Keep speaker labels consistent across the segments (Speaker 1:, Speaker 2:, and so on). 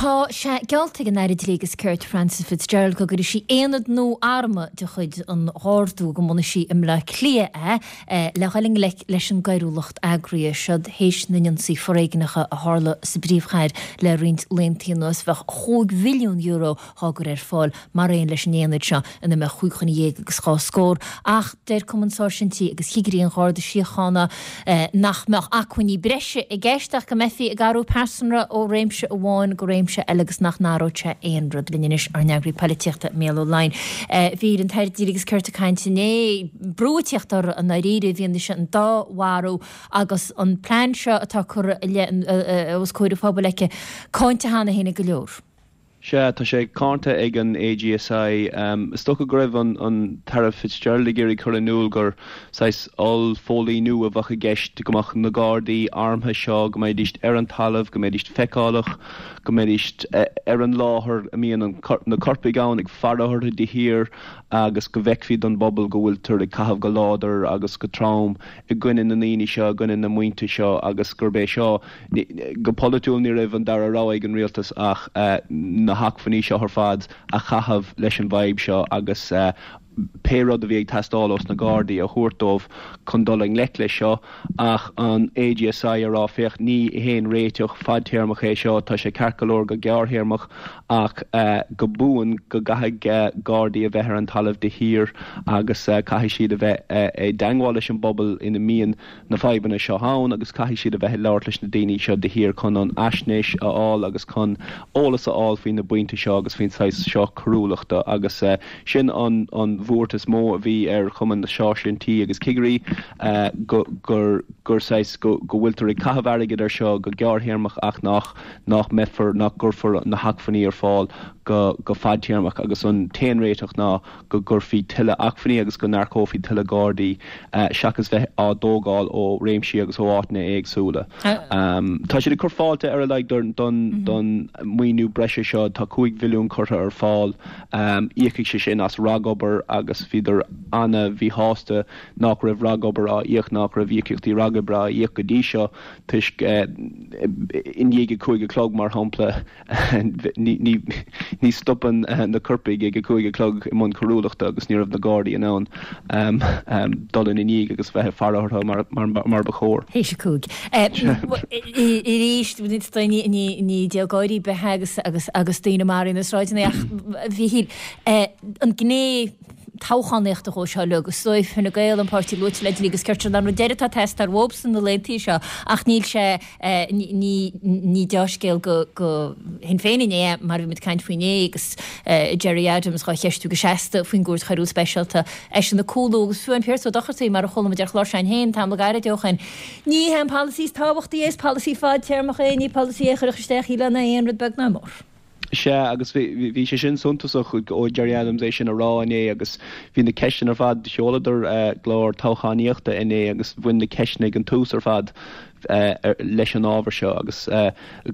Speaker 1: Tá sé geallta ag an Aire Dlí agus Cirt Frances Fitzgerald go gcuirfidh sí aonad nua armtha de chuid an Gharda, go mbunóidh sí i mBleá Cliath é, le dhul i ngleic leis an gcoiriúlacht eagraithe. Seod théis na n-ionsaí foréigneacha a tharla sa bpríomhchathair le roinnt laethanta anuas. Bheadh €5 mhilliún dhá gcur ar fáil mar aon leis an aonad seo ina mbeadh chúig dhuine dhéag agus dhá scór. Ach deir Cumann Sáirsintí agus Chigirí an Gharda Síochána nach mbeadh acmhainní breise i gceist ach go mbeifí ag athrú pearsanra ó réimse amháin go réimse eile agus nach n-athródh sé aon rud. Linn anois ár n-eagraí poilitíochta, Mícheál Ó Laighin. Bhí an tAire Dlí agus Cirt ag caint inné, brú ag tíocht orthu i ndáiríre i bhfianaise an dá mharú agus an plean seo atá curtha i leith os comhair an phobail aici cáinte cheana féin ag go leor.
Speaker 2: Sea, tá sé cáinte ag an AGSI. Is dócha go raibh an tAire Fitzgerald ag iarraidh cur in iúl gur saghas oll-phóilíniú a bheadh i gceist, go mbeadh na Gardaí armtha seo, go mbeidís ar an talamh, go mbeidís feiceálach, go mbeidís ar an láthair a mbíonn na coirpigh ann, ag faire orthu de shíor agus go bhfeicfí don bpobal go bhfuiltear ag caitheamh go láidir agus go trom i gcoinne na ndaoine seo, i gcoinne na mbuíonta seo agus gurb é seo Go polaitiúil ní raibh an dara rogha ag an rialtas ach na hacmhainní seo ar fad a chaitheamh leis an bhfadhb seo agus pé rud a bhí ag teastáil ós na Gardaí a thabhairt dóibh chun dul i ngleic leis seo. Ach an AGSI a rá féach ní haon réiteach fadtéarmach é seo, tá sé ceart go leor go gearrthéarmach ach go buan go gcaithfidh Gardaí a bheith ar an talamh de shíor agus caithfidh siad a bheith i dteangmháil leis an bpobal ina mbíonn na fadhbanna seo ann agus caithfidh siad a bheith ag labhairt leis na daoine seo de shíor chun an fhaisnéis a fháil agus chun eolas a fháil faoi na buíonta seo agus faoin saghas seo coiriúlachta agus sin an an bhuairt is mó a bhí ar Chumann na Sáirsintí agus Cigirí go gur gur saghas go go bhfuiltear ag caitheamh airgid ar seo go gearrthéarmach ach nach nach mbeifear nach gcuirfear na hacmhainní ar fáil go go fadtéarmach agus an t-aon réiteach ná go gcuirfí tuilleadh acmhainní agus go n-earcófaí tuilleadh Gardaí seachas bheith á dtógáil ó réimsí agus ó áiteanna éagsúla. Tá siad ag cur fáilte ar a laghad don maoiniú breise seo. Tá 5 mhilliún curtha ar fáil. Íocfaidh sé sin as ragobair agus bhíodar ana-mhíshásta nach raibh ragobair á íoc, nach raibh íocaíochtaí ragoibre á íoc go dtí seo toisc i ndiaidh a 5 a chlog mar shampla, Ní stopann na coirpigh ag a 5 a chlog i mbun coiriúlachta agus ní raibh na Gardaí in ann dul ina ndiaidh agus bheith ag faire orthu mar ba chóir.
Speaker 1: Théis a 5. Arís, ní díol gáirí ar bith agus agus daoine maraithe na sráideanna ach a Mhíchíl, an gné toghchánaíochta dhó seo uilig, is dóigh Fine Gael an páirtí luaite le Dlí agus Cirt an rud deiridh atá ag teastáil uathubsan na laethanta seo ach níl sé Ní dea-scéal do Shinn Féin inné, mar a bhí muid ag caint faoi inné, agus Gerry Adams dhá cheistiú go seasta faoin gCúirt Choiriúil Speisialta, eisean ag cúlú, agus fiú amháin Pearse Ó Dochartaigh, mar a chuala muid ar chlár s'againn féin tamall gairid ó shin, ní hé an polasaí is tábhachtaí é, is polasaí fadtéarmach é, ní polasaí é a chuirfeadh isteach shílfeá ná aon rud beag ná mór.
Speaker 2: Sea, agus bhí sé sin suntasach ó Gerry Adams é sin a rá inné agus bhí na ceisteanna ar fad, sheoladar a gclár toghchánaíochta inné agus bhain na ceisteanna ag an tús ar fad leis an ábhar seo agus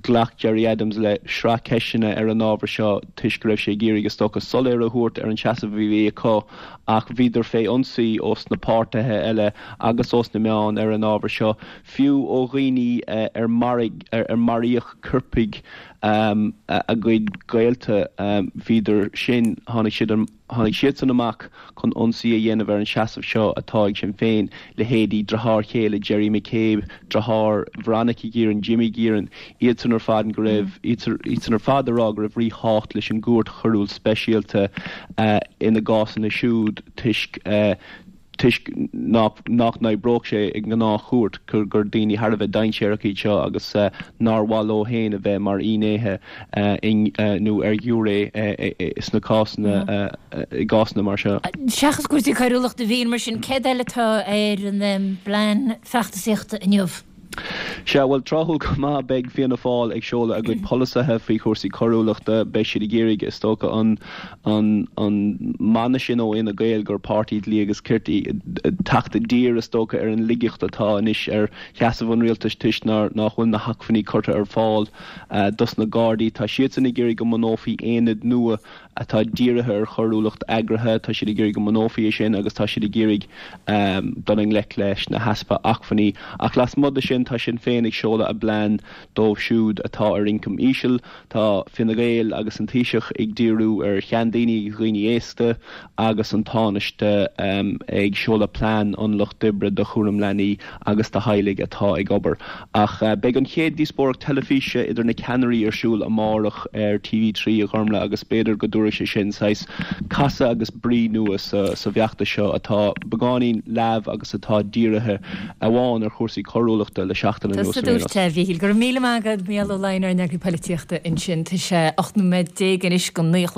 Speaker 2: ghlac Gerry Adams le sraith ceisteanna ar an ábhar seo toisc go raibh sé ag iarraidh is dócha soiléire a thabhairt ar an seasamh a bhí acu ach bhíodar fé ionsaí ós na páirtithe eile agus ós na meáin ar an ábhar seo, fiú ó dhaoine ar maraíodh coirpigh a gcuid gaolta, bhíodar sin, tháinig siad, tháinig siadsan amach chun ionsaí a dhéanamh ar an seasamh seo atá ag Sinn Féin, leithéidí deartháir chéile Gerry McCabe, deartháir Veronica Guerin, Jimmy Guerin, iadsan ar fad go raibh, iadsan ar fad a rá go raibh ríthábhacht leis an gCúirt Choiriúil Speisialta ina gcásanna siúd toisc toisc nach n-oibreodh sé i ngnáthchúirt, gur daoine thar a bheith dainséarach iad seo agus nár mhaith leo féin a bheith mar fhinnéithe nó ar ghiúiré sna cásanna, i gcásanna mar seo.
Speaker 1: Seachas cúrsaí coiriúlachta a Mhíchíl, mar sin, céard eile atá ar an bplean feachtasaíochta inniu?
Speaker 2: Sea, bhuel, tráthúil go maith, beidh Fianna Fáil ag seoladh a gcuid polasaithe faoi chúrsaí coiriúlachta. Beidh siad ag iarraidh, is dócha, an an mana sin ó Fhine Gael gur páirtí dlí agus cirt iad, teacht i dtír, is dócha, ar an laigeacht atá anois ar sheasamh an rialtais toisc nár nach bhfuil na hacmhainní curtha ar fáil dos na Gardaí. Tá siadsan ag iarraidh go mbunófaí aonad nua atá dírithe ar choiriúlacht eagraithe, tá siad ag iarraidh go mbunófaí é sin agus tá siad ag iarraidh dul i ngleic leis na heaspa acmhainní. Ach lasmuigh de sin, tá Sinn Féin. Féin ag seoladh a bplean dóibh siúd atá ar ioncam íseal. Tá Fine Gael agus an Taoiseach ag díriú ar sheandaoine agus dhaoine aosta agus an Tánaiste ag seoladh plean an Lucht Oibre do chúram leanaí agus do theaghlaigh atá ag obair. Ach beidh an chéad díospóireacht teilifíse idir na ceannairí ar siúl amárach ar TV3 a Ghormlaith agus b'fhéidir go dtabharfaidh sé sin saghas casadh agus brí nua sa bhfeachtas seo atá beagáinín leamh agus atá dírithe amháin ar chúrsaí coiriúlachta le seachtain anuas
Speaker 1: ar aon nós. A Mhíchíl, go raibh míle maith agat, Mícheál Ó Lionáird, ár n-eagraí polaitíochta ansin. Tá sé 18 nóiméad anois go 9 a chlog.